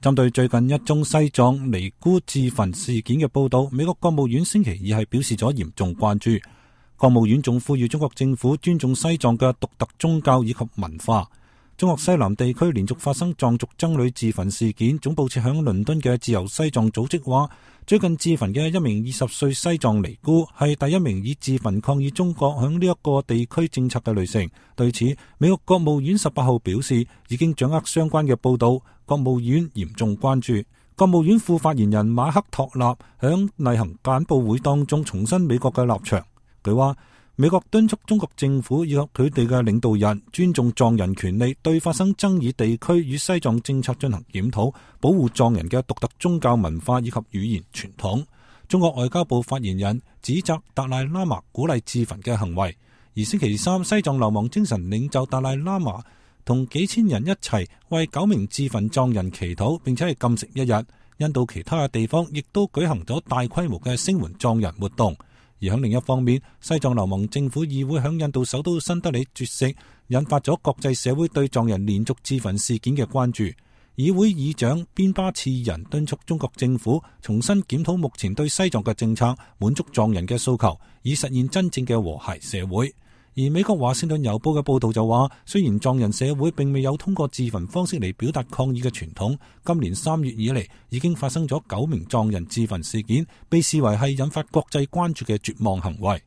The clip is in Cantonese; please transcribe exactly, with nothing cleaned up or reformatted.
針對最近一宗西藏尼姑自焚事件嘅報道，美國國務院星期二係表示咗嚴重關注。國務院仲呼籲中國政府尊重西藏嘅獨特宗教以及文化。中國西南地區連續發生藏族僧侶自焚事件，總部設響倫敦嘅自由西藏組織話，最近自焚嘅一名二十歲西藏尼姑係第一名以自焚抗議中國響呢一個地區政策嘅女性。對此，美國國務院十八號表示已經掌握相關嘅報道，國務院嚴重關注。國務院副發言人馬克托納響例行簡報會當中重申美國嘅立場。佢話，美國敦促中國政府以及佢哋嘅領導人尊重藏人權利，對發生爭議地區與西藏政策進行檢討，保護藏人嘅獨特宗教文化以及語言傳統。中國外交部發言人指責達賴喇嘛鼓勵自焚嘅行為。而星期三，西藏流亡精神領袖達賴喇嘛同幾千人一齊為九名自焚藏人祈禱，並且係禁食一日。印度其他嘅地方亦都舉行咗大規模嘅聲援藏人活動。而喺另一方面，西藏流亡政府議會響印度首都新德里絕食，引發咗國際社會對藏人連續自焚事件嘅關注。議會議長邊巴次仁敦促中國政府重新檢討目前對西藏嘅政策，滿足藏人嘅訴求，以實現真正嘅和諧社會。而美國華盛頓郵報嘅報道就話，雖然藏人社會並未有通過自焚方式嚟表達抗議嘅傳統，今年三月以嚟已經發生咗九名藏人自焚事件，被視為係引發國際關注嘅絕望行為。